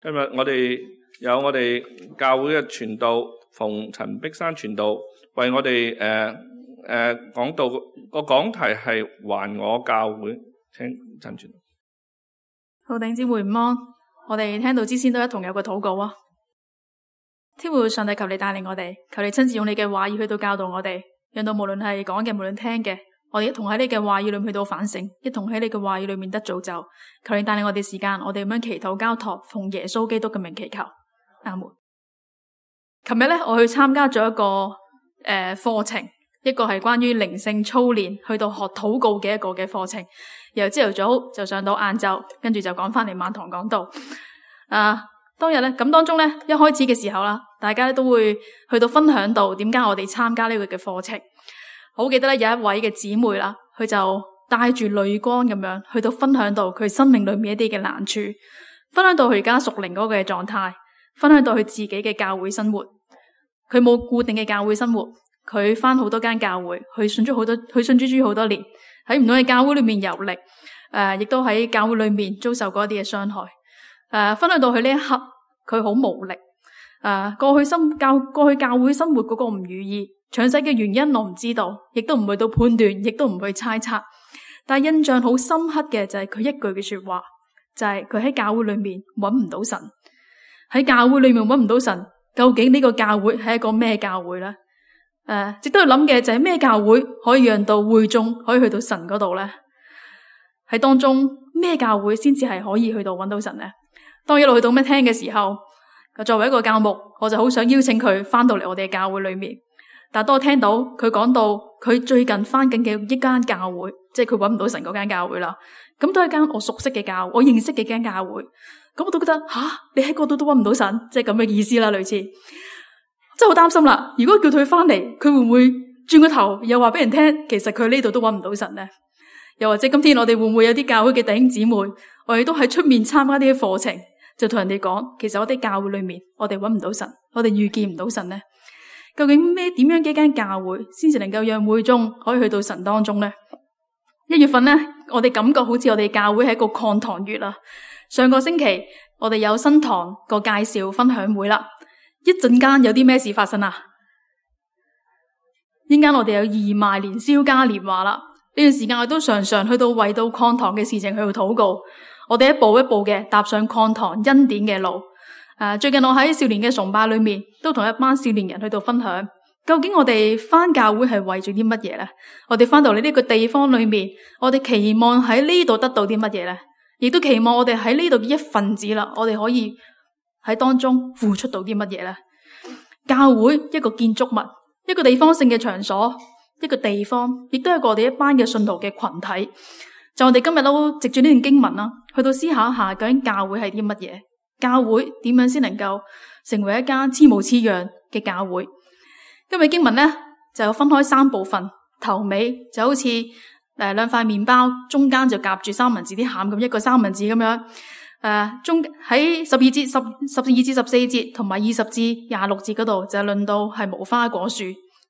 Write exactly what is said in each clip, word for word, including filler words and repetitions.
今日我哋有我哋教會嘅傳道馮陳碧山傳道為我哋誒誒講道，個講題係還我教會，請陳傳道。好，弟兄姊妹午安，我哋聽道之先都一同有個禱告啊！天父上帝，求你帶領我哋，求你親自用你嘅話語去到教導我哋，讓到無論係講嘅，無論聽嘅，我哋一同喺你嘅話語裏面去到反省，一同喺你嘅話語裏面得造就。求你帶領我哋時間，我哋咁樣祈禱交託，奉耶穌基督嘅名祈求，阿門。琴日咧，我去參加咗一個誒課程，一個係關於靈性操練，去到學禱告嘅一個嘅課程。由朝頭早就上到晏晝，跟住就趕翻嚟晚堂講道。啊，當日咧咁當中咧，一開始嘅時候啦，大家都會去到分享到點解我哋參加呢個嘅課程。好記得咧，有一位嘅姊妹啦，佢就帶住淚光咁樣去到分享到佢生命裏面一啲嘅難處，分享到佢而家屬靈嗰個嘅狀態，分享到佢自己嘅教會生活。佢冇固定嘅教會生活，佢翻好多間教會，佢信咗好多，佢信主主好多年，喺唔同嘅教會裏面遊歷，誒、呃，亦都喺教會裏面遭受過一啲嘅傷害。誒、呃，分享到佢呢一刻，佢好無力。誒、呃，過去生教過去教會生活嗰個唔如意，詳細嘅原因我唔知道，亦都唔去到判斷，亦都唔去猜測。但係印象好深刻嘅就係佢一句嘅說話，就係佢喺教會裏面揾唔到神，喺教會裏面揾唔到神，究竟呢個教會係一個咩教會咧？誒、呃，值得去諗嘅就係咩教會可以讓到會眾可以去到神嗰度咧？喺當中咩教會先至係可以去到揾到神咧？當一路去到咩聽嘅時候，作為一個教牧，我就好想邀請佢翻到嚟我哋嘅教會裏面。但係當我聽到佢講到佢最近翻緊嘅一間教會，即係佢揾唔到神嗰間教會啦，咁都係間我熟悉嘅教會，我認識嘅間教會，咁我都覺得吓，你喺嗰度都揾唔到神，即係咁嘅意思啦，類似，真係好擔心啦。如果叫佢翻嚟，佢會唔會轉個頭又話俾人聽，其實佢呢度都揾唔到神呢？又或者今天我哋會唔會有啲教會嘅弟兄姊妹，我哋都喺出面參加啲課程，就同人哋講，其實我哋教會裏面，我哋揾唔到神，我哋遇見唔到神呢？究竟咩點樣嘅一間教會先至能夠讓會眾可以去到神當中呢？一月份呢，我哋感覺好似我哋教會係一個擴堂月啦。上個星期我哋有新堂個介紹分享會啦，一陣間有啲咩事發生啊？一陣間我哋有義賣年宵嘉年華啦。呢段時間我都常常去到為到擴堂嘅事情去到禱告，我哋一步一步嘅踏上擴堂恩典嘅路。誒，最近我喺少年嘅崇拜裏面，都同一班少年人去到分享，究竟我哋返教會係為咗啲乜嘢咧？我哋返到嚟呢個地方裏面，我哋期望喺呢度得到啲乜嘢咧？亦都期望我哋喺呢度嘅一份子啦，我哋可以喺當中付出到啲乜嘢咧？教會一個建築物，一個地方性嘅場所，一個地方，亦都係我哋一班嘅信徒嘅群體。就我哋今日都藉住呢段經文啦，去到思考一下究竟教會係啲乜嘢？教會點樣先能夠成為一間似模似樣嘅教會？今日經文咧就分開三部分，頭尾就好似誒兩塊麵包，中間就夾住三文治啲餡咁，一個三文治咁樣。誒、呃，中喺十二節、十十二至十四節同埋二十至廿六節嗰度就論到係無花果樹，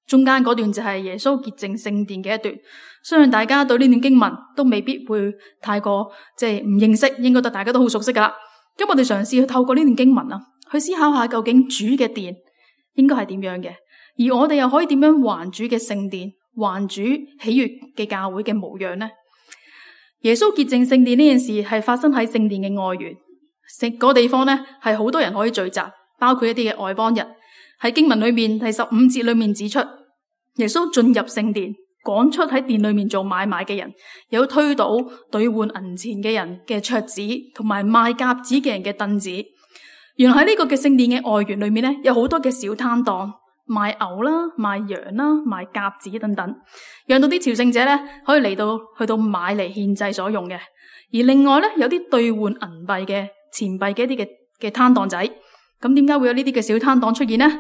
中間嗰段就係耶穌潔淨聖殿嘅一段。相信大家對呢段經文都未必會太過即係唔認識，應該都大家都好熟悉噶啦。咁我哋嘗試去透過呢段經文啊，去思考下究竟主嘅殿應該係點樣嘅，而我哋又可以點樣還主嘅聖殿，還主喜悅嘅教會嘅模樣呢？耶穌潔淨聖殿呢件事係發生喺聖殿嘅外園，嗰個地方呢係好多人可以聚集，包括一啲嘅外邦人。喺經文裏面第十五節裏面指出，耶穌進入聖殿，趕出喺殿裏面做買賣嘅人，有推倒兌換銀錢嘅人嘅桌子，同埋賣鴿子嘅人嘅凳子。原來喺呢個嘅聖殿嘅外園裏面咧，有好多嘅小攤檔，賣牛啦、賣羊啦、賣鴿子等等，讓到啲朝聖者咧可以嚟到去到買嚟獻祭所用嘅。而另外咧，有啲兌換銀幣嘅錢幣嘅一啲嘅嘅攤檔仔。咁點解會有呢啲嘅小攤檔出現呢？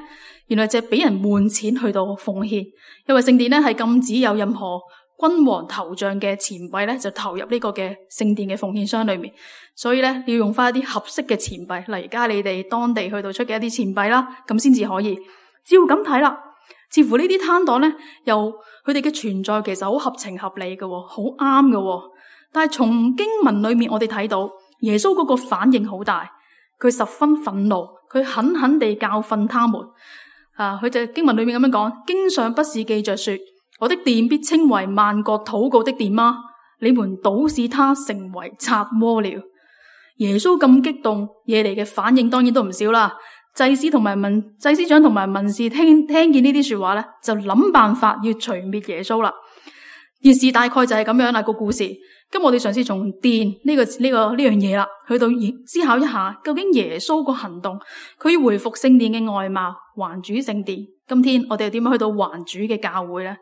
原來就係俾人換錢去到奉獻，因為聖殿咧係禁止有任何君王頭像嘅錢幣咧就投入呢個嘅聖殿嘅奉獻箱裏面，所以咧要用翻一啲合適嘅錢幣，例如加你哋當地去到出嘅一啲錢幣啦，咁先至可以。照咁睇啦，似乎呢啲攤檔咧，又佢哋嘅存在其實好合情合理嘅，好啱嘅。但係從經文裏面我哋睇到耶穌嗰個反應好大。佢十分憤怒，佢狠狠地教訓他們。啊，佢就經文裏面咁樣講：經上不是記着說，我的殿必稱為萬國禱告的殿嗎？你們倒使他成為賊窩了。耶穌咁激動，惹嚟嘅反應當然都唔少啦。祭司同埋文祭司長同埋文士聽聽見呢啲說話咧，就諗辦法要除滅耶穌啦。件事大概就係咁樣啦，個故事。咁我哋嘗試從殿呢個呢個呢樣嘢啦，去到思考一下，究竟耶穌個行動，佢要回復聖殿嘅外貌，還主聖殿。今天我哋又點樣去到還主嘅教會咧？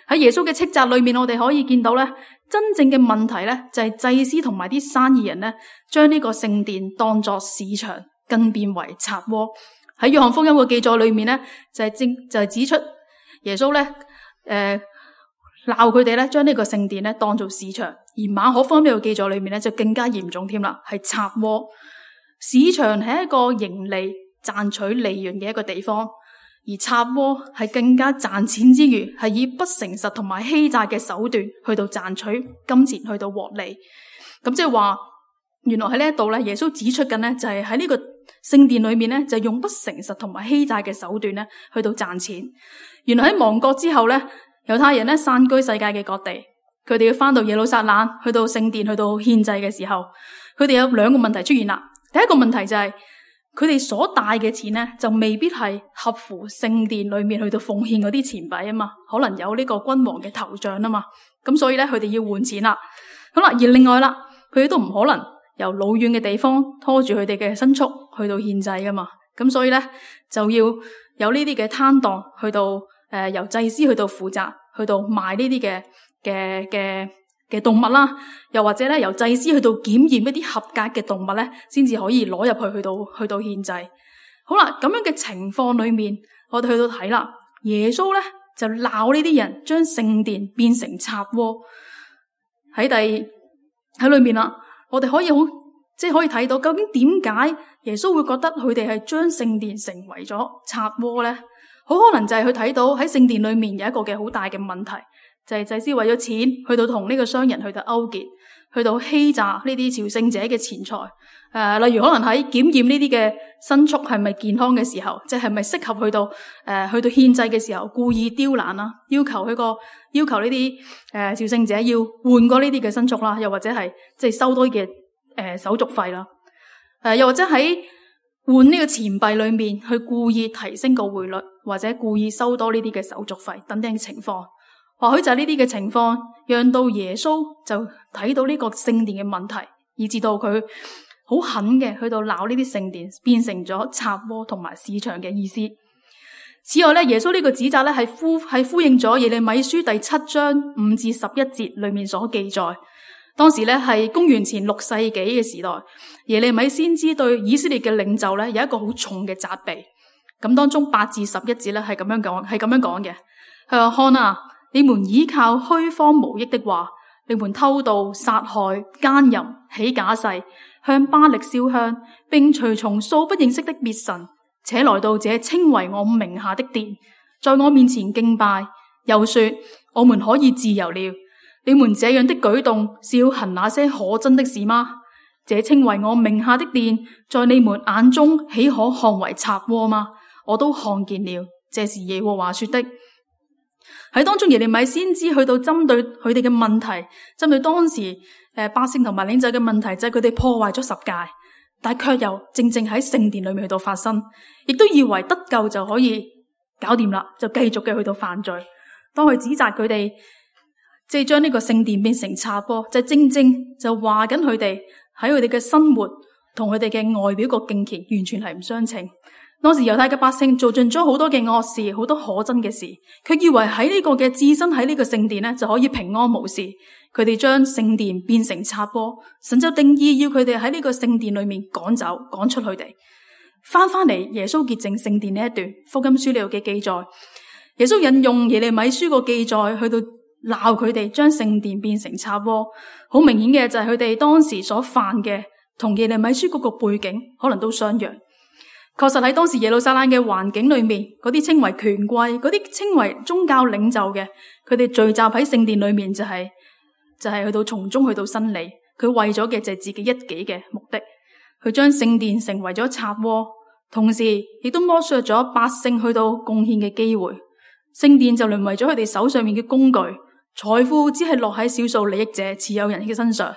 喺耶穌嘅斥責裏面，我哋可以見到咧，真正嘅問題咧就係祭司同埋啲生意人咧，將呢個聖殿當作市場，更變為賊窩。喺約翰福音嘅記載裏面咧，就係正就係指出耶穌咧，誒鬧佢哋咧，將呢個聖殿咧當做市場。而馬可福音呢個記載裏面咧，就更加嚴重添啦，係賊窩。市場係一個盈利賺取利潤嘅一個地方，而賊窩係更加賺錢之餘，係以不誠實同埋欺詐嘅手段去到賺取金錢，去到獲利。咁即係話，原來喺呢一度咧，耶穌指出緊咧，就係喺呢個聖殿裏面咧，就用不誠實同埋欺詐嘅手段咧，去到賺錢。原來喺亡國之後咧，猶太人咧散居世界嘅各地。佢哋要翻到耶路撒冷，去到聖殿，去到獻祭嘅時候，佢哋有兩個問題出現啦。第一個問題就係佢哋所帶嘅錢咧，就未必係合乎聖殿裏面去到奉獻嗰啲錢幣啊嘛，可能有呢個君王嘅頭像啊嘛，咁所以咧佢哋要換錢啦。好啦，而另外啦，佢哋都唔可能由老遠嘅地方拖住佢哋嘅牲畜去到獻祭噶嘛，咁所以咧就要有呢啲嘅攤檔去到誒、呃、由祭司去到負責，去到賣呢啲嘅。嘅嘅嘅動物啦，又或者咧由祭司去到檢驗一啲合格嘅動物咧，先至可以攞入去去到去到獻祭。好啦，咁樣嘅情況裏面，我哋去到睇啦，耶穌咧就鬧呢啲人將聖殿變成賊窩。喺第喺裏面啦，我哋可以好即係可以睇到，究竟點解耶穌會覺得佢哋係將聖殿成為咗賊窩咧？好可能就係佢睇到喺聖殿裏面有一個嘅好大嘅問題。就係祭司為咗錢，去到同呢個商人去到勾結，去到欺詐呢啲朝聖者嘅錢財。誒、呃，例如可能喺檢驗呢啲嘅牲畜係咪健康嘅時候，即係咪適合去到誒、呃、去到獻祭嘅時候，故意刁難啦，要求佢個要求呢啲誒朝聖者要換過呢啲嘅牲畜啦，又或者係即係收多嘅誒、呃、手續費啦。誒、呃，又或者喺換呢個錢幣裏面去故意提升個匯率，或者故意收多呢啲嘅手續費等等嘅情況。或許就係呢啲嘅情況，讓到耶穌就睇到呢個聖殿嘅問題，以致到佢好狠嘅去到鬧呢啲聖殿，變成咗賊窩同埋市場嘅意思。此外咧，耶穌呢個指責咧係呼係呼應咗耶利米書第七章五至十一節裏面所記載。當時咧係公元前六世紀嘅時代，耶利米先知對以色列嘅領袖咧有一個好重嘅責備。咁當中八至十一節咧係咁樣講，係咁樣講嘅。佢話：看啊！你們倚靠虛謊無益的話，你們偷盜、殺害、奸淫、起假誓，向巴力燒香，並隨從素不認識的別神，且來到這稱為我名下的殿，在我面前敬拜，又說我們可以自由了。你們這樣的舉動是要行那些可憎的事嗎？這稱為我名下的殿，在你們眼中豈可看為賊窩嗎？我都看見了，這是耶和華說的。喺當中耶利米先知去到針對佢哋嘅問題，針對當時誒百姓同埋領袖嘅問題，就係佢哋破壞咗十誡，但係卻又正正喺聖殿裏面去到發生，亦都以為得救就可以搞掂啦，就繼續嘅去到犯罪。當佢指責佢哋，即係將呢個聖殿變成賊窩，就正正就話緊佢哋喺佢哋嘅生活同佢哋嘅外表個敬虔完全係唔相稱。當時猶太嘅百姓做盡咗好多嘅惡事，好多可憎嘅事，佢以為喺呢個嘅置身喺呢個聖殿咧就可以平安無事。佢哋將聖殿變成賊窩，神就定意要佢哋喺呢個聖殿裏面趕走，趕出佢哋。翻翻嚟耶穌潔淨聖殿呢一段福音書呢度嘅記載，耶穌引用耶利米書個記載去到鬧佢哋將聖殿變成賊窩。好明顯嘅就係佢哋當時所犯嘅同耶利米書嗰個背景可能都相若。確實喺當時耶路撒冷嘅環境裏面，嗰啲稱為權貴、嗰啲稱為宗教領袖嘅，佢哋聚集喺聖殿裏面就係、是、就係、是、去到從中去到申理，佢為咗嘅就係自己一己嘅目的。佢將聖殿成為咗賊窩，同時亦都剝削咗百姓去到貢獻嘅機會。聖殿就淪為咗佢哋手上面嘅工具，財富只係落喺少數利益者持有人嘅身上。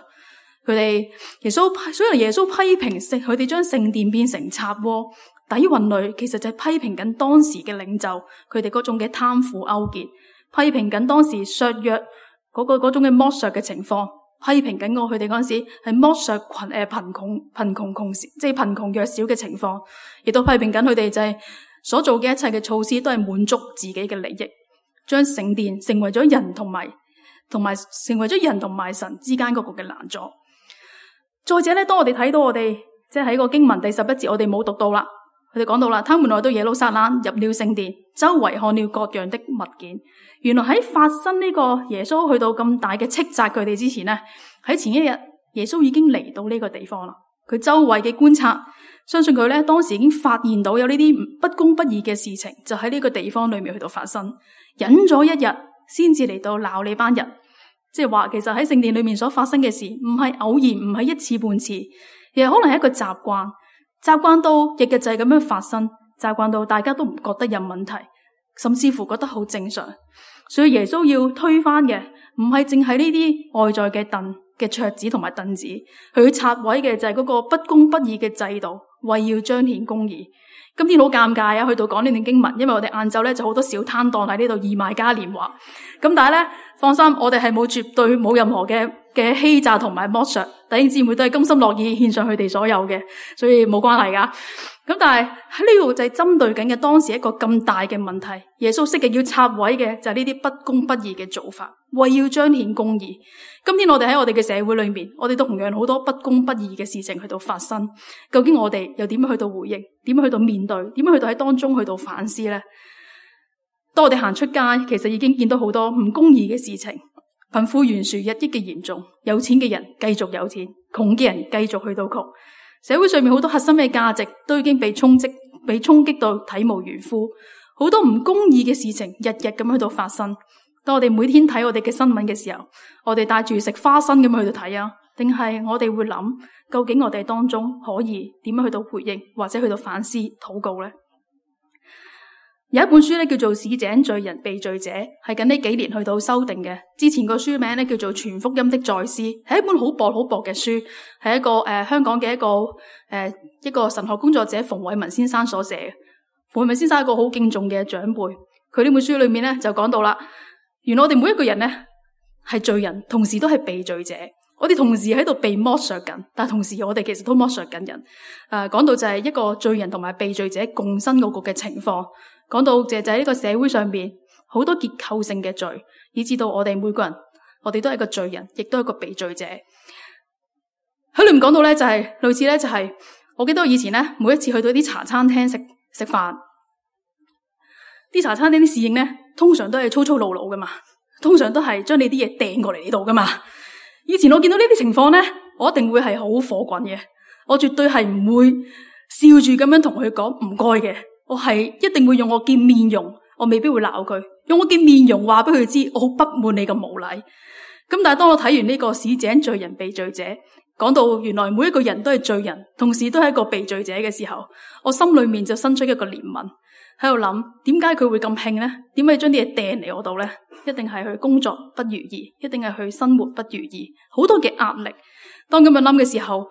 佢哋耶穌批，所以耶穌批評聖，佢哋將聖殿變成賊窩，底蘊裏其實就係批評緊當時嘅領袖，佢哋嗰種嘅貪腐勾結，批評緊當時削弱嗰個嗰種嘅剝削嘅情況，批評緊我佢哋嗰陣時係剝削群誒貧窮貧窮窮即係貧窮弱小嘅情況，亦都批評緊佢哋就係所做嘅一切嘅措施都係滿足自己嘅利益，將聖殿成為咗人同埋同埋成為咗人同埋神之間嗰個嘅攔阻。再者咧，當我哋睇到我哋即係喺個經文第十一節，我哋冇讀到啦。佢哋講到啦，他們來到耶路撒冷，入了聖殿，周圍看了各樣的物件。原來喺發生呢個耶穌去到咁大嘅斥責佢哋之前呢，喺前一日耶穌已經嚟到呢個地方啦。佢周圍嘅觀察，相信佢咧當時已經發現到有呢啲不公不義嘅事情，就喺呢個地方裏面去到發生。忍咗一日，先至嚟到鬧你班人。即係話，其實喺聖殿裏面所發生嘅事，唔係偶然，唔係一次半次，亦可能係一個習慣，習慣到日日就係咁樣發生，習慣到大家都唔覺得有問題，甚至乎覺得好正常。所以耶穌要推翻嘅，唔係淨係呢啲外在嘅凳嘅桌子同埋凳子，佢要拆毀嘅就係嗰個不公不義嘅制度，為要彰顯公義。今天好尷尬啊，去到講呢段經文，因為我哋晏晝咧就好多小攤檔喺呢度義賣嘉年華。咁但係咧，放心，我哋係冇絕對冇任何嘅嘅欺詐同埋剝削，弟兄姊妹都係甘心樂意獻上佢哋所有嘅，所以冇關係噶。咁但係喺呢度就係針對緊嘅當時一個咁大嘅問題，耶穌識嘅要拆毀嘅就係呢啲不公不義嘅做法，為要彰顯公義。今天我哋喺我哋嘅社會裏面，我哋都同樣好多不公不義嘅事情去到發生，究竟我哋又點樣去到回應？點樣去到面對？點樣去到喺當中去到反思呢？當我哋行出街，其實已經見到好多唔公義嘅事情，貧富懸殊日益嘅嚴重，有錢嘅人繼續有錢，窮嘅人繼續去到窮。社會上面好多核心嘅價值都已經被衝擊，被衝擊到體無完膚。好多唔公義嘅事情日日咁喺度發生。當我哋每天睇我哋嘅新聞嘅時候，我哋帶住食花生咁去到睇啊，定係我哋會諗，究竟我哋當中可以點樣去到回應，或者去到反思禱告呢？有一本書咧叫做《市井罪人被罪者》，係近呢幾年去到修訂嘅。之前個書名咧叫做《全福音的再思》，係一本好薄好薄嘅書，係一個誒、呃、香港嘅一個誒、呃、一個神學工作者馮偉文先生所寫嘅。馮偉文先生係一個好敬重嘅長輩，佢呢本書裏面咧就講到啦，原來我哋每一個人咧係罪人，同時都係被罪者。我哋同時喺度被剝削緊，但同時我哋其實都剝削緊人。誒、呃，講到就係一個罪人同埋被罪者共生嗰個嘅情況。講到就係呢個社會上邊好多結構性嘅罪，以至到我哋每個人，我哋都係一個罪人，亦都係一個被罪者。喺裏面講到咧，就係、是、類似咧，就係、是、我記得我以前咧，每一次去到啲茶餐廳食食飯，啲茶餐廳啲侍應咧，通常都係粗粗魯魯噶嘛，通常都係將你啲嘢掟過嚟呢度噶嘛。以前我見到呢啲情況咧，我一定會係好火滾嘅，我絕對係唔會笑住咁樣同佢講唔該嘅。我係一定會用我嘅面容，我未必會鬧佢，用我嘅面容話俾佢知，我好不滿你咁無禮。咁但係當我睇完呢個市井罪人被罪者，講到原來每一個人都係罪人，同時都係一個被罪者嘅時候，我心裏面就生出一個憐憫，喺度諗點解佢會咁興呢？點解將啲嘢掟嚟我度呢？一定係佢工作不如意，一定係佢生活不如意，好多嘅壓力。當咁樣諗嘅時候，誒、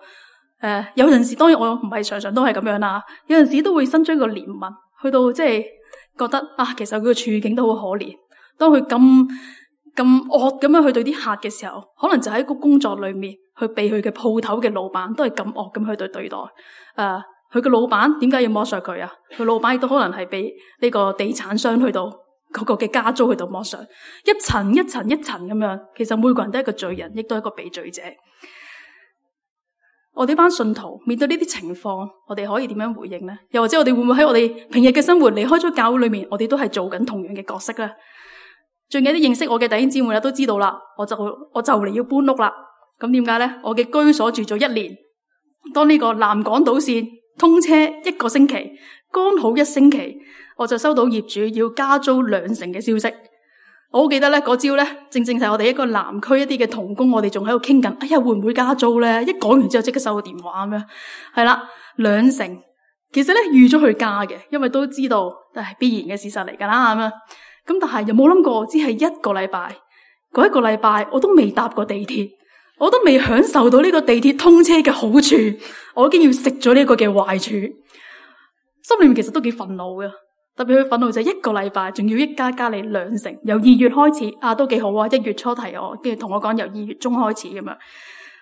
呃，有陣時當然我唔係常常都係咁樣啦，有陣時都會生出一個憐憫，去到即係覺得啊，其實佢嘅處境都好可憐。當佢咁咁惡咁樣去對啲客嘅時候，可能就喺個工作裏面，去被佢嘅鋪頭嘅老闆都係咁惡咁去對對待。誒、呃，佢嘅老闆點解要剝削佢啊？佢老闆亦都可能係俾呢個地產商去到嗰個嘅加租去到剝削，一層一層一層咁樣。其實每個人都係一個罪人，亦都係一個被罪者。我哋班信徒面對呢啲情況，我哋可以點樣回應呢？又或者我哋會唔會喺我哋平日嘅生活離開咗教會裏面，我哋都係做緊同樣嘅角色呢？仲有啲認識我嘅弟兄姊妹都知道啦，我就我就嚟要搬屋啦。咁點解呢？我嘅居所住咗一年，當呢個南港島線通車一個星期，剛好一星期，我就收到業主要加租兩成嘅消息。我好記得咧，嗰朝咧，正正係我哋一個南區一啲嘅同工，我哋仲喺度傾緊，哎呀，會唔會加租咧？一講完之後，即刻收個電話咁樣，係啦，兩成。其實咧預咗去加嘅，因為都知道都係必然嘅事實嚟噶啦咁樣。咁但係又冇諗過，只係一個禮拜，嗰一個禮拜我都未搭過地鐵，我都未享受到呢個地鐵通車嘅好處，我已經要食咗呢個嘅壞處，心裏面其實都幾憤怒嘅。特別佢憤怒就係一個禮拜，仲要一加加你兩成，由二月開始啊，都幾好啊！一月初提我，跟住同我講由二月中開始咁樣。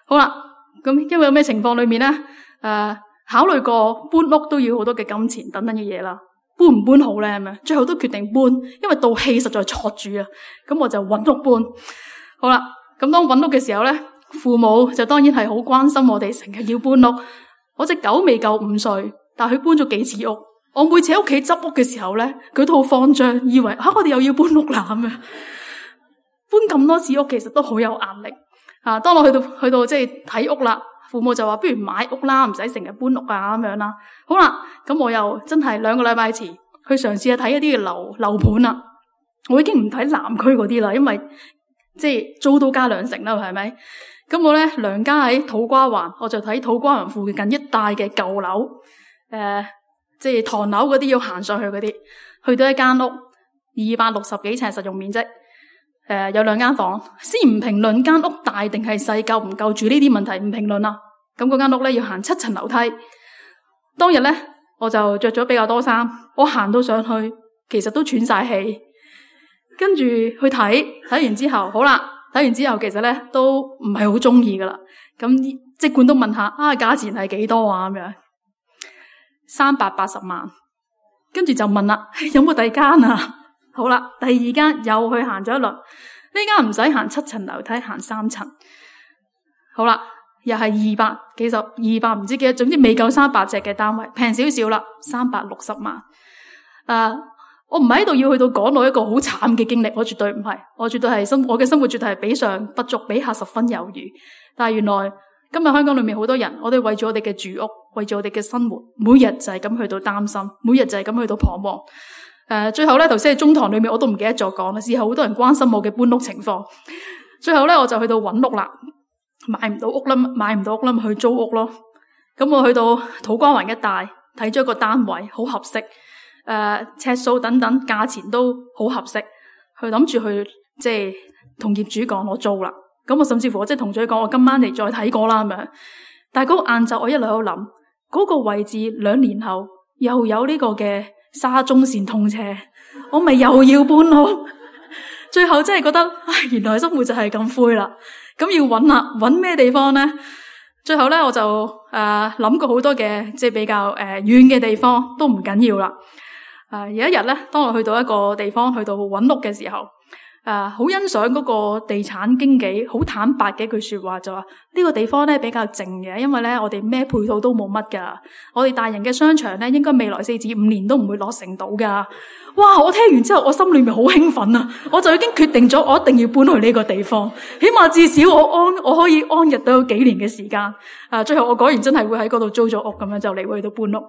好啦，咁因為有咩情況裏面咧？誒、呃，考慮過搬屋都要好多嘅金錢等等嘅嘢啦，搬唔搬好咧咁樣？最後都決定搬，因為道氣實在挫住啊。咁我就揾屋搬。好啦，咁當揾屋嘅時候咧，父母就當然係好關心我哋，成日要搬屋。我隻狗未夠五歲，但係佢搬咗幾次屋。我每次喺屋企執屋嘅時候咧，佢都好慌張，以為吓、啊、我哋又要搬屋啦咁樣。搬咁多次屋，其實都好有壓力啊！當我去到去到即係睇屋啦，父母就話不如買屋啦，唔使成日搬屋啊咁樣啦。好啦，咁我又真係兩個禮拜前去嘗試去睇一啲嘅樓樓盤啦。我已經唔睇南區嗰啲啦，因為即係租都加兩成啦，係咪？咁我咧娘家喺土瓜灣，我就睇土瓜灣附近一帶嘅舊樓，誒、呃。即係唐樓嗰啲要行上去嗰啲，去到一間屋二百六十幾尺實用面積，誒、呃、有兩間房。先唔評論間屋大定係細，夠唔夠住呢啲問題唔評論啦。咁嗰間屋咧要行七層樓梯。當日咧我就着咗比較多衫，我行到上去其實都喘晒氣，跟住去睇睇完之後，好啦，睇完之後其實咧都唔係好中意噶啦。咁即管都問下啊，價錢係幾多啊咁樣。三百八十萬，跟住就問啦，有冇第二間啊？好啦，第二間又去行咗一輪，呢間唔使行七層樓梯，行三層。好啦，又係二百幾十，二百唔知幾多，總之未夠三百尺嘅單位，平少少啦，三百六十萬。誒、呃，我唔係喺度要去到講到一個好慘嘅經歷，我絕對唔係，我絕對係生，我嘅生活絕對係比上不足，比下十分有餘。但係原來今日香港裏面好多人，我哋為咗我哋嘅住屋，為咗我哋嘅生活，每日就係咁去到擔心，每日就係咁去到彷徨。誒、呃，最後咧，頭先喺中堂裏面我都唔記得咗講啦。事後好多人關心我嘅搬屋情況。最後咧，我就去到揾屋啦，買唔到屋啦，買唔到屋啦，咪去租屋咯。咁我去到土瓜灣一帶睇咗一個單位，好合適，誒、呃，尺數等等，價錢都好合適，去諗住去即係同業主講我租啦。咁我甚至乎我即係同佢講，我今晚嚟再睇過啦咁樣。但係嗰個晏晝，我一路喺度諗，嗰個位置兩年後又有呢個嘅沙中線通車，我咪又要搬屋。最後真係覺得，唉，原來生活就係咁灰啦。咁要揾啦，揾咩地方咧？最後咧，我就誒諗、呃、過好多嘅，即係比較誒遠嘅地方都唔緊要啦。誒、呃、有一日咧，當我去到一個地方，去到揾屋嘅時候。誒，好、uh, 欣賞嗰個地產經紀好坦白嘅一句說話，就話呢個地方咧比較靜嘅，因為咧我哋咩配套都冇乜噶，我哋大型嘅商場咧應該未來四至五年都唔會落成到噶。哇！我聽完之後，我心裏面好興奮啊！我就已經決定咗，我一定要搬去呢個地方，起碼至少我安我可以安逸到幾年嘅時間。啊，最後我果然真係會喺嗰度租咗屋，咁樣就嚟會去到搬屋。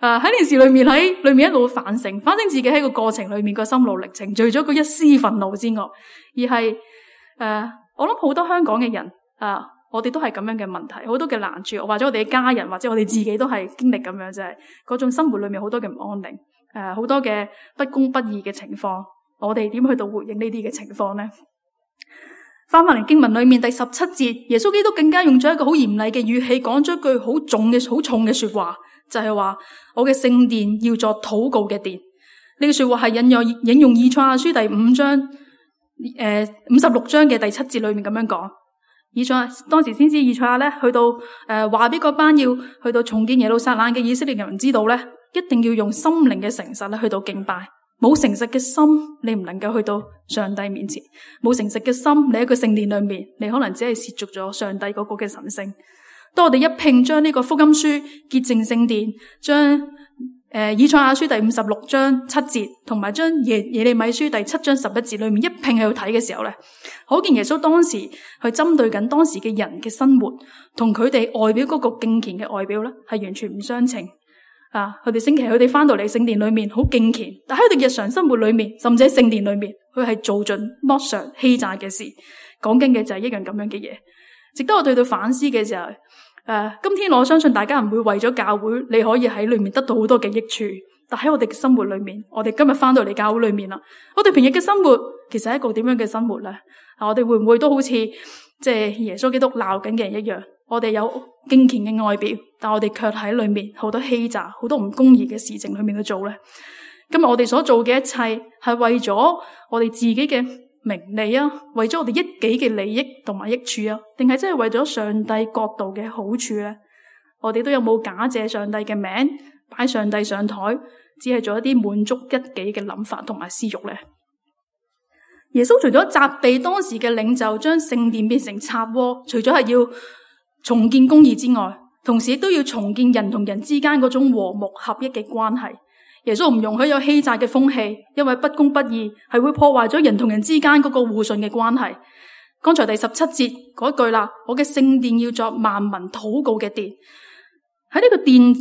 誒，喺件事裏面喺裏面一路反省，反省自己喺個過程裏面個心路歷程，除咗個一絲憤怒之外，而係誒、呃，我諗好多香港嘅人誒、呃，我哋都係咁樣嘅問題，好多嘅難處，或者我哋嘅家人，或者我哋自己都係經歷咁樣，就係嗰種生活裏面好多嘅唔安定，誒、呃，好多嘅不公不義嘅情況，我哋點去到回應呢啲嘅情況呢？翻返嚟經文裏面第十七節，耶穌基督更加用咗一個好嚴厲嘅語氣，講咗一句好重嘅、好重嘅說話。就係話我嘅聖殿要作禱告嘅殿，呢句說話係引用引用以賽亞書第五章誒五十六章嘅第七節裏面咁樣講。以賽亞當時先知以賽亞咧去到誒話俾嗰班要去到重建耶路撒冷嘅以色列人知道咧，一定要用心靈嘅誠實咧去到敬拜。冇誠實嘅心，你唔能夠去到上帝面前；冇誠實嘅心，你喺個聖殿裏面，你可能只係褻瀆咗上帝嗰個嘅神聖。當我哋一併將呢個福音書潔淨聖殿，將誒、呃、以賽亞書第五十六章七節，同埋將耶耶利米書第七章十一節裏面一併喺度睇嘅時候咧，可見耶穌當時去針對緊當時嘅人嘅生活，同佢哋外表嗰個敬虔嘅外表咧，係完全唔相稱。啊，佢哋星期佢哋翻到嚟聖殿裏面好敬虔，但喺佢哋日常生活裏面，甚至喺聖殿裏面，佢係做盡剝削欺詐嘅事。講緊嘅就係一樣咁樣嘅嘢，值得我對佢反思嘅時候，誒、啊，今天我相信大家唔會為咗教會，你可以喺裏面得到好多嘅益處。但喺我哋嘅生活裏面，我哋今日翻到嚟教會裏面啦，我哋平日嘅生活其實係一個點樣嘅生活咧？啊，我哋會唔會都好似即係耶穌基督鬧緊嘅人一樣？我哋有敬虔嘅外表，但我哋卻喺裏面好多欺詐、好多唔公義嘅事情裏面去做咧。今日我哋所做嘅一切係為咗我哋自己嘅名利啊，為咗我哋一己嘅利益同埋益處啊，定係真係為咗上帝國度嘅好處咧？我哋都有冇假借上帝嘅名，擺上帝上台，只係做一啲滿足一己嘅諗法同埋私欲咧？耶穌除咗責備當時嘅領袖將聖殿變成賊窩，除咗係要重建公義之外，同時亦都要重建人同人之間嗰種和睦合一嘅關係。耶穌唔容許有欺詐嘅風氣，因為不公不義係會破壞咗人同人之間嗰個互信嘅關係。剛才第十七節嗰句啦，我嘅聖殿要作萬民禱告嘅殿。喺呢個殿，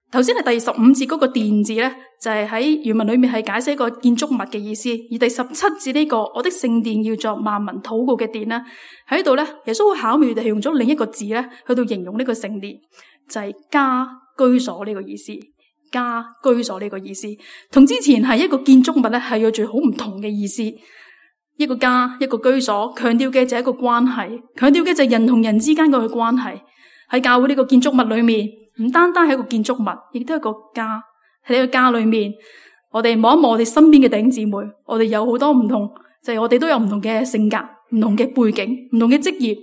頭先係第十五節嗰個殿字咧，就係喺原文裏面係解釋一個建築物嘅意思。而第十七節呢個我的聖殿要作萬民禱告嘅殿咧，喺度咧，耶穌好巧妙地係用咗另一個字咧，去到形容呢個聖殿，就係家居所呢個意思。家居所呢個意思，同之前係一個建築物咧，係有住好唔同嘅意思。一個家，一個居所，強調嘅就係一個關係，強調嘅就係人同人之間嘅關係。喺教會呢個建築物裏面，唔單單係一個建築物，亦都係一個家。喺呢個家裏面，我哋望一望我哋身邊嘅弟兄姊妹，我哋有好多唔同，就係我哋都有唔同嘅性格、唔同嘅背景、唔同嘅職業。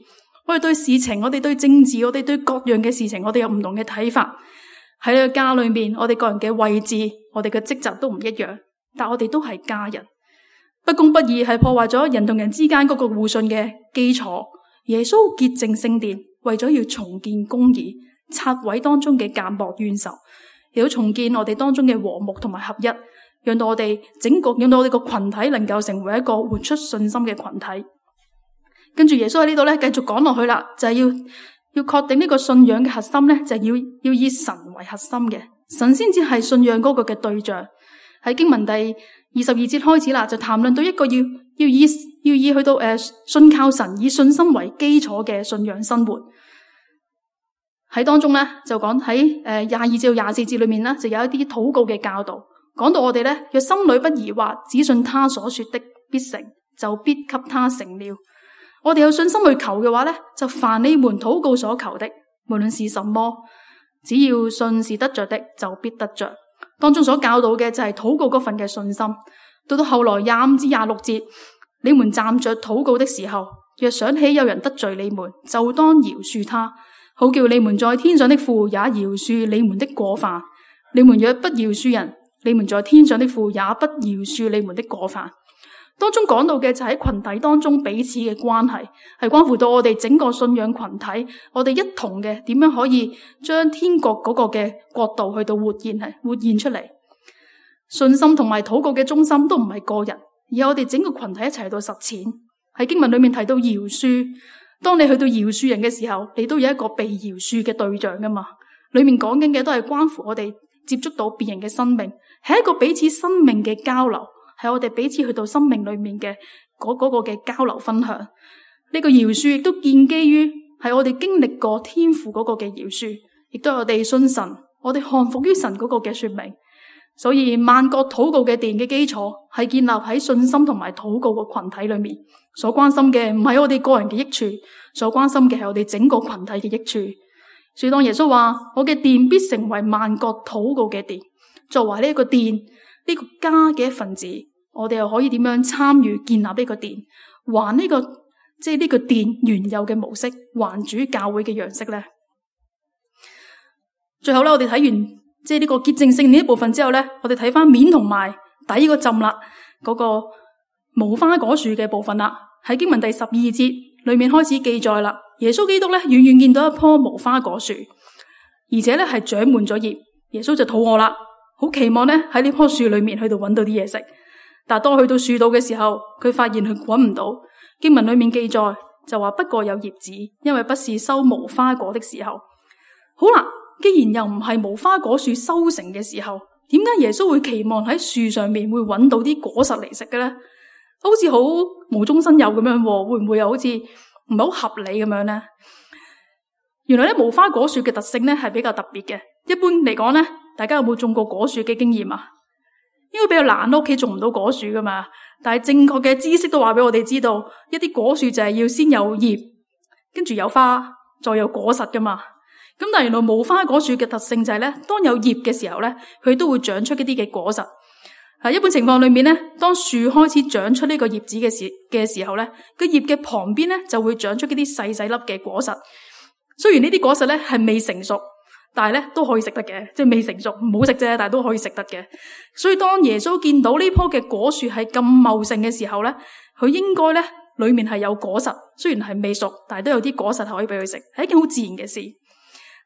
我哋對事情，我哋對政治，我哋對各樣嘅事情，我哋有唔同嘅睇法。喺呢個家裏面，我哋個人嘅位置，我哋嘅職責都唔一樣，但我哋都係家人。不公不義係破壞咗人同人之間嗰個互信嘅基礎。耶穌潔淨聖殿，為咗要重建公義，拆毀當中嘅奸惡冤仇，亦都重建我哋當中嘅和睦同埋合一，讓到我哋整個，讓到我哋個群體能夠成為一個活出信心嘅群體。跟住耶穌喺呢度咧，繼續講落去啦，就係要。要確定呢個信仰嘅核心咧，就係要要以神為核心嘅，神先至係信仰嗰個嘅對象。喺經文第二十二節開始啦，就談論到一個要要以要以去到誒、呃、信靠神，以信心為基礎嘅信仰生活。喺當中咧，就講喺誒廿二至到廿四節裏面咧，就有一啲禱告嘅教導，講到我哋咧，若心裏不疑惑，只信他所說的必成，就必給他成了。我哋有信心去求嘅話咧，就凡你們禱告所求的，無論是什麼，只要信是得着的，就必得着。當中所教導嘅就係禱告嗰份嘅信心。到到後來廿五至廿六節，你們站着禱告的時候，若想起有人得罪你們，就當饒恕他，好叫你們在天上的父也饒恕你們的過犯。你們若不饒恕人，你們在天上的父也不饒恕你們的過犯。當中講到嘅就喺群體當中彼此嘅關係，係關乎到我哋整個信仰群體，我哋一同嘅點樣可以將天國嗰個嘅國度去到活現係活現出嚟。信心同埋禱告嘅中心都唔係個人，而係我哋整個群體一齊去到實踐。喺經文裏面提到饒恕，當你去到饒恕人嘅時候，你都有一個被饒恕嘅對象噶嘛。裏面講緊嘅都係關乎我哋接觸到別人嘅生命，係一個彼此生命嘅交流。係我哋彼此去到生命裏面嘅嗰嗰個嘅交流分享，呢個饒恕亦都建基於係我哋經歷過天父嗰個嘅饒恕，亦都係我哋信神，我哋降服於神嗰個嘅說明。所以萬國禱告嘅殿嘅基礎係建立喺信心同埋禱告嘅群體裏面，所關心嘅唔係我哋個人嘅益處，所關心嘅係我哋整個群體嘅益處。所以當耶穌話我嘅殿必成為萬國禱告嘅殿，作為呢一個殿呢個家嘅一份子，我哋又可以點樣參與建立呢個殿，還呢個即係呢個殿原有嘅模式，還主教會嘅樣式咧？最後咧，我哋睇完即係呢個潔淨聖殿呢一部分之後咧，我哋睇翻面同埋底個浸啦，嗰個無花果樹嘅部分啦。喺經文第十二節裏面開始記載啦，耶穌基督咧遠遠見到一棵無花果樹，而且咧係長滿咗葉，耶穌就肚餓啦。好期望咧喺呢棵樹裏面去到揾到啲嘢食，但係當去到樹度嘅時候，佢發現佢揾唔到。經文裏面記載就話不過有葉子，因為不是收無花果的時候。好啦，既然又唔係無花果樹收成嘅時候，點解耶穌會期望喺樹上面會揾到啲果實嚟食嘅咧？好似好無中生有咁樣，會唔會又好似唔係好合理咁樣咧？原來咧，無花果樹嘅特性咧係比較特別嘅。一般嚟講咧，大家有冇種過果樹嘅經驗啊？應該比較難，屋企種唔到果樹噶嘛。但係正確嘅知識都話俾我哋知道，一啲果樹就係要先有葉，跟住有花，再有果實噶嘛。咁但係原來無花果樹嘅特性就係咧，當有葉嘅時候咧，佢都會長出一啲嘅果實。喺一般情況裏面咧，當樹開始長出呢個葉子嘅時嘅時候咧，個葉嘅旁邊咧就會長出一啲細細粒嘅果實。雖然呢啲果實咧係未成熟，但係咧都可以食得嘅，即係未成熟唔好食啫，但係都可以食得嘅。所以當耶穌見到呢棵嘅果樹係咁茂盛嘅時候咧，佢應該咧裏面係有果實，雖然係未熟，但係都有啲果實係可以俾佢食，係一件好自然嘅事。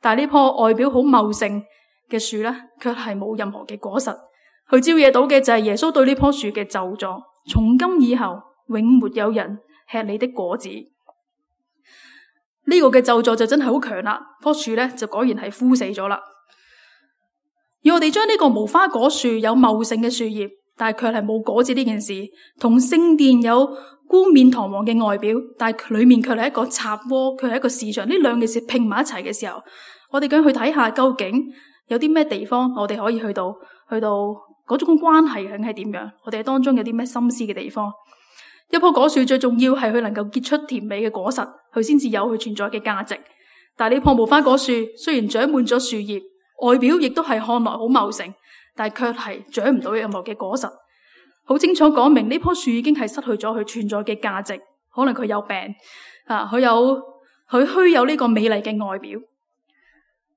但係呢棵外表好茂盛嘅樹咧，卻係冇任何嘅果實。佢招惹到嘅就係耶穌對呢棵樹嘅咒詛，從今以後永沒有人吃你的果子。呢個嘅咒詛就真係好強啦，棵樹咧就果然係枯死咗啦。而我哋將呢個無花果樹有茂盛嘅樹葉，但係卻係冇果子呢件事，同聖殿有冠冕堂皇嘅外表，但係裏面卻係一個賊窩，佢係一個市場，呢兩件事拼埋一齊嘅時候，我哋咁去睇下究竟有啲咩地方我哋可以去到去到嗰種關係究竟係點樣？我哋當中有啲咩心思嘅地方？一棵果樹最重要係佢能夠結出甜美嘅果實，佢先至有佢存在嘅價值。但係呢棵無花果樹雖然長滿咗樹葉，外表亦都係看來好茂盛，但係卻係長唔到任何嘅果實。好清楚講明呢棵樹已經係失去咗佢存在嘅價值。可能佢有病啊，佢有佢虛有呢個美麗嘅外表。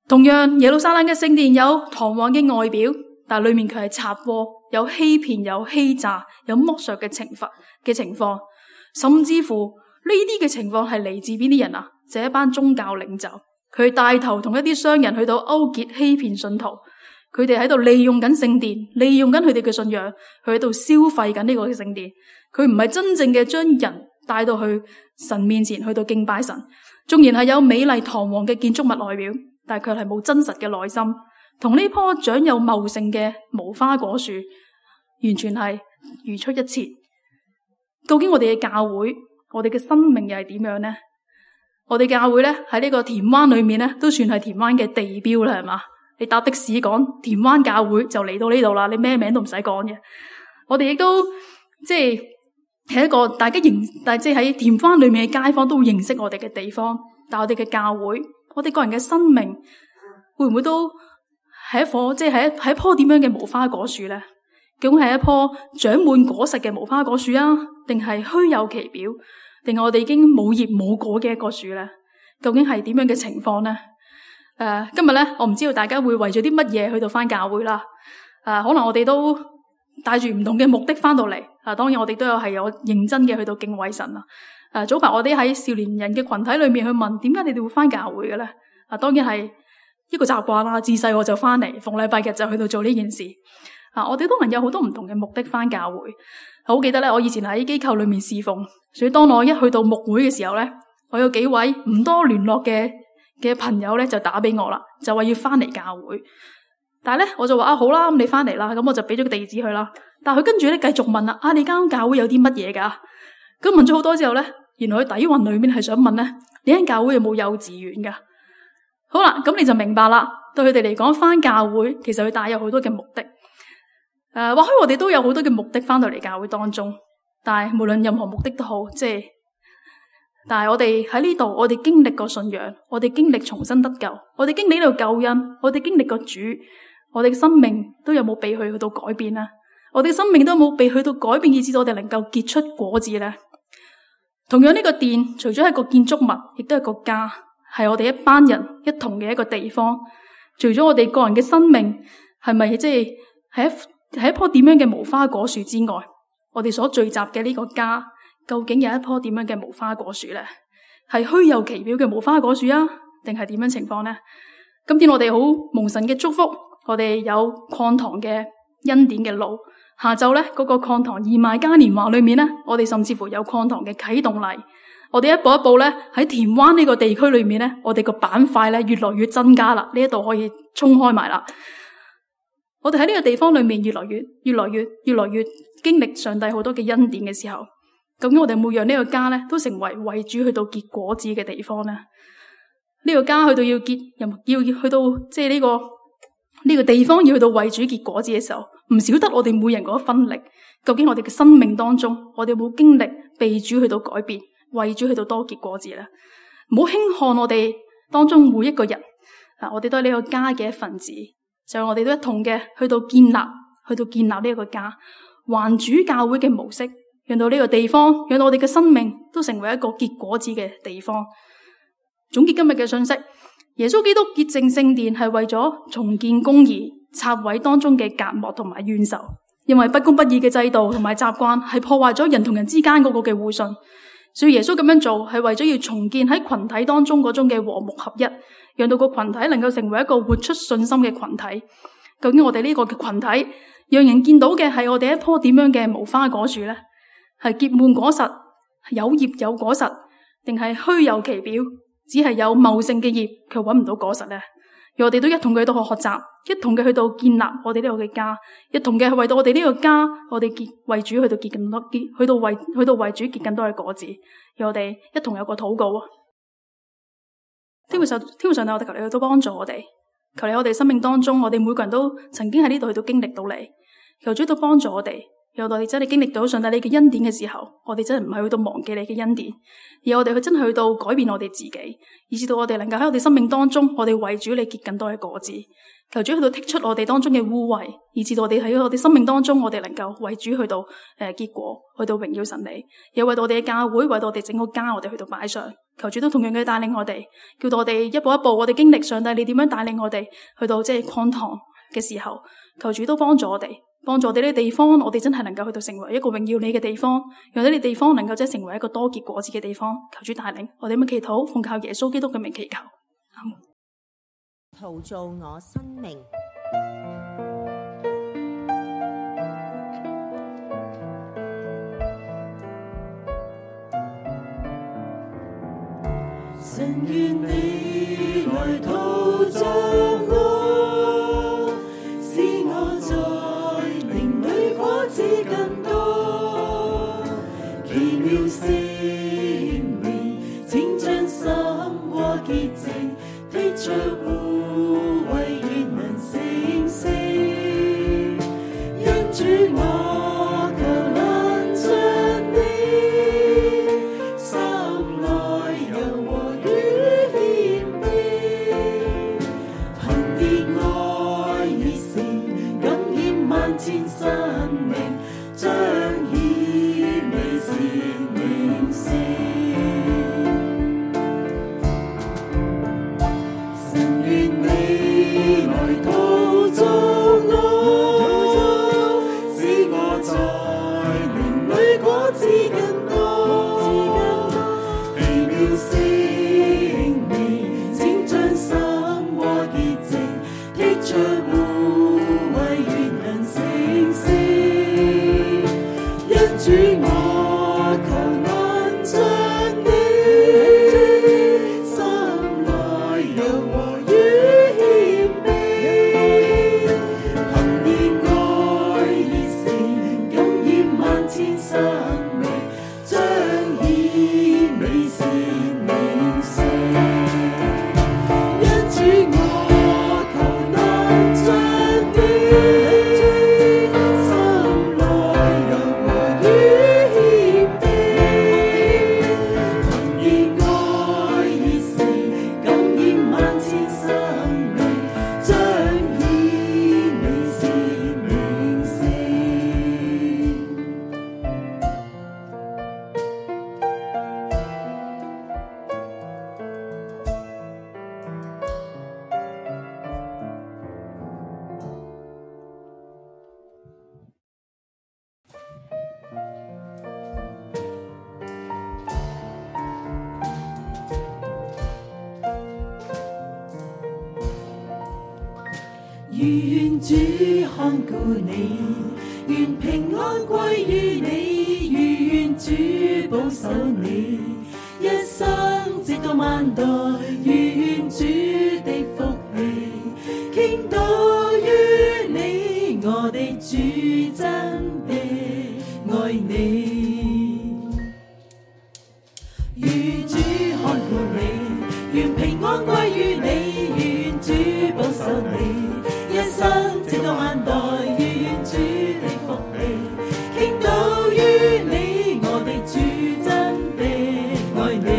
同樣耶路撒冷嘅聖殿有堂皇嘅外表，但係裏面佢係賊窩，有欺騙、有欺詐、有剝削嘅懲罰嘅情況，甚至乎呢啲嘅情況係嚟自邊啲人啊？就係一班宗教領袖，佢帶頭同一啲商人去到勾結欺騙信徒，佢哋喺度利用緊聖殿，利用緊佢哋嘅信仰，佢喺度消費緊呢個聖殿。佢唔係真正嘅將人帶到去神面前去到敬拜神，縱然係有美麗堂皇嘅建築物外表，但係佢係冇真實嘅內心。同呢棵長有茂盛嘅無花果樹，完全係如出一轍。究竟我哋嘅教會，我哋嘅生命又係點樣呢？我哋教會咧喺呢個田灣裏面咧，都算係田灣嘅地標啦，係嘛？你搭的士講田灣教會就嚟到呢度啦，你咩名都唔使講嘅。我哋亦都即係係一個大家認，但係即係喺田灣裏面嘅街坊都會認識我哋嘅地方。但係我哋嘅教會，我哋個人嘅生命，會唔會都係一棵即係係一係一棵點樣嘅無花果樹咧？究竟係一棵長滿果實嘅無花果樹啊，定係虛有其表，定係我哋已經冇葉冇果嘅一個樹咧？究竟係點樣嘅情況咧？誒、呃，今日咧，我唔知道大家會為咗啲乜嘢去到翻教會啦。誒、呃，可能我哋都帶住唔同嘅目的翻到嚟。啊、呃，當然我哋都有係有認真嘅去到敬畏神啊。誒、呃，早排我哋喺少年人嘅群體裏面去問，點解你哋會翻教會嘅咧？啊、呃，當然係一個習慣啦。自細我就翻嚟，逢禮拜日就去到做呢件事。啊！我哋都能有好多唔同嘅目的翻教會。好記得咧，我以前喺機構裏面侍奉，所以當我一去到牧會嘅時候咧，我有幾位唔多聯絡嘅嘅朋友咧就打俾我啦，就話要翻嚟教會。但係咧，我就話啊好啦，咁你翻嚟啦，咁我就俾咗個地址佢啦。但係佢跟住咧繼續問啦，啊你間教會有啲乜嘢噶？咁問咗好多之後咧，原來佢底蘊裏面係想問咧，你間教會有冇幼稚園噶？好啦，咁你就明白啦。對佢哋嚟講，翻教會其實佢帶有好多嘅目的。誒、呃，或許我哋都有好多嘅目的翻到嚟教會當中，但係無論任何目的都好，即係，但係我哋喺呢度，我哋經歷過信仰，我哋經歷重生得救，我哋經歷呢度救恩，我哋經歷過主，我哋嘅生命都有冇被佢去到改變呢？我哋嘅生命都有冇被去到改變，以致我哋能夠結出果子呢？同樣呢個殿，除咗係個建築物，亦都係個家，係我哋一班人一同嘅一個地方。除咗我哋個人嘅生命，係咪即係係一？係一棵點樣嘅無花果樹之外，我哋所聚集嘅呢個家，究竟有一棵點樣嘅無花果樹咧？係虛有其表嘅無花果樹啊，定係點樣情況咧？今天我哋好蒙神嘅祝福，我哋有擴堂嘅恩典嘅路。下晝咧，嗰個擴堂義賣嘉年華裏面咧，我哋甚至乎有擴堂嘅啟動禮。我哋一步一步咧喺田灣呢個地區裏面咧，我哋個板塊咧越來越增加啦。呢一度可以衝開埋啦。我哋喺呢個地方裏面越來越、越來越、越來越經歷上帝好多嘅恩典嘅時候，究竟我哋每讓呢個家咧都成為為主去到結果子嘅地方咧？呢個家去到要結，要要去到即係呢個呢個地方要去到為主結果子嘅時候，唔少得我哋每人嗰一分力。究竟我哋嘅生命當中，我哋有冇經歷被主去到改變，為主去到多結果子咧？唔好輕看我哋當中每一個人，啊，我哋都係呢個家嘅一份子，就係我哋都一同嘅去到建立，去到建立呢一個家，還主教會嘅模式，讓到呢個地方，讓到我哋嘅生命都成為一個結果子嘅地方。總結今日嘅信息，耶穌基督潔淨聖殿係為咗重建公義，拆毀當中嘅隔膜同埋怨仇。因為不公不義嘅制度同埋習慣係破壞咗人同人之間嗰個嘅互信，所以耶穌咁樣做係為咗要重建喺群體當中嗰種嘅和睦合一，讓到個群體能夠成為一個活出信心嘅群體。究竟我哋呢個嘅群體，讓人見到嘅係我哋一棵點樣嘅無花果樹呢？係結滿果實，有葉有果實，定係虛有其表，只係有茂盛嘅葉，卻搵唔到果實呢？讓我哋都一同嘅去到學習，一同嘅去到建立我哋呢個嘅家，一同嘅係為到我哋呢個家，我哋結為主去到結更多結，去到為去到為主結更多嘅果子。讓我哋一同有個禱告啊！天父上天父上帝，我哋求你去到幫助我哋，求你我哋生命當中，我哋每個人都曾經喺呢度去到經歷到你，求主都幫助我哋。讓我哋真係經歷到上帝你嘅恩典嘅時候，我哋真係唔係去到忘記你嘅恩典，而我哋去真係去到改變我哋自己，以至到我哋能夠喺我哋生命當中，我哋為主你結更多嘅果子。求主去到剔出我哋當中嘅污穢，以至到我哋喺我哋生命當中，我哋能夠為主去到誒、呃、結果，去到榮耀神你，又為到我哋嘅教會，為到我哋整個家，我哋去到擺上。求主都同樣嘅帶領我哋，叫到我哋一步一步，我哋經歷上帝你點樣帶領我哋去到即係擴堂嘅時候，求主都幫助我哋。幫助我哋呢啲地方，我哋真係能夠去到成為一個榮耀你嘅地方，讓呢啲地方能夠即係成為一個多結果子嘅地方。求主帶領，我哋咁樣祈禱，奉靠耶穌基督嘅名祈求。陶造我生命，神願你來陶造我，使我在靈裡果子更多，奇妙聖靈，請將心和潔淨剔除污穢，願能成聖。因主我求能將你心內柔和與謙卑，憑熱愛熱誠感染萬千生命，彰顯美善名聲。神願你來陶造我，使我在靈裡果子更多，奇妙聖靈，請將心和潔淨剔除污穢，願能成聖。因主我求能將你心內柔和與謙卑，憑熱愛熱誠感染萬千生命，彰顯美善名聲。因主我求能將你心內柔和與謙卑，憑熱愛熱誠感染萬千生命，彰顯美善名聲。願主看顧你，願平安歸於你，願主保守你，一生直到萬代，願主的福氣傾倒於你，我哋主真的愛你。願主看顧你，願平安歸於你，願主保守你，一生直到萬代，願主的福氣傾倒於你，我哋主真的愛你。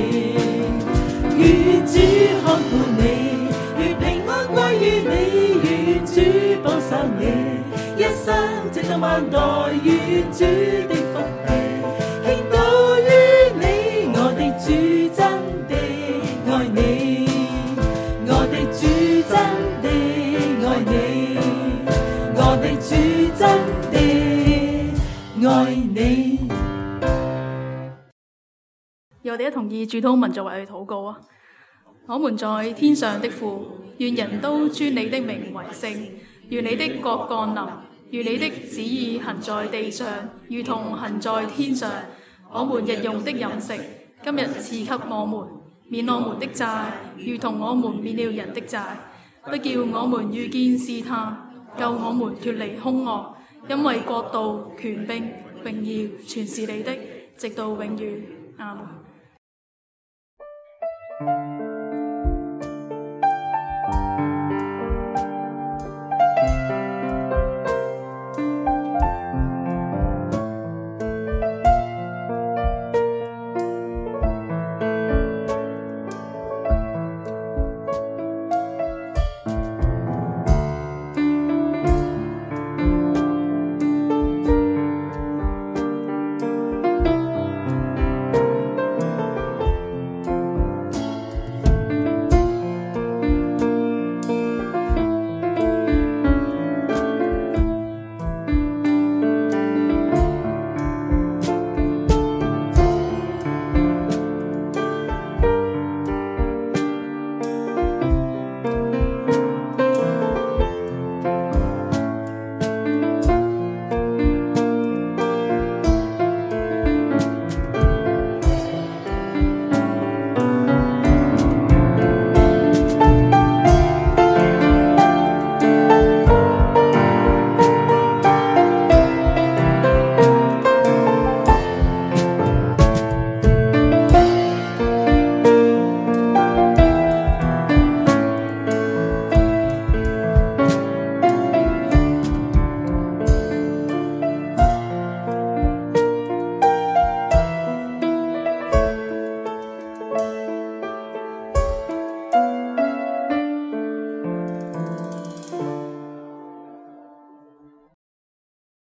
願主看顧你，願平安歸於你，願主保守你，一生直到萬代，願主的福氣傾倒於你，我哋主真的愛你，我哋主真的愛你，我哋主真的愛你。由我哋一同以主禱文作為去禱告啊！我們在天上的父，願人都尊你的名為聖，願你的國降臨，願你的旨意行在地上，如同行在天上。我們日用的飲食，今日賜給我們，免我們的債，如同我們免了人的債，不叫我們遇見試探，救我們脫離兇惡，因為國度、權柄、榮耀全是你的，直到永遠。阿們。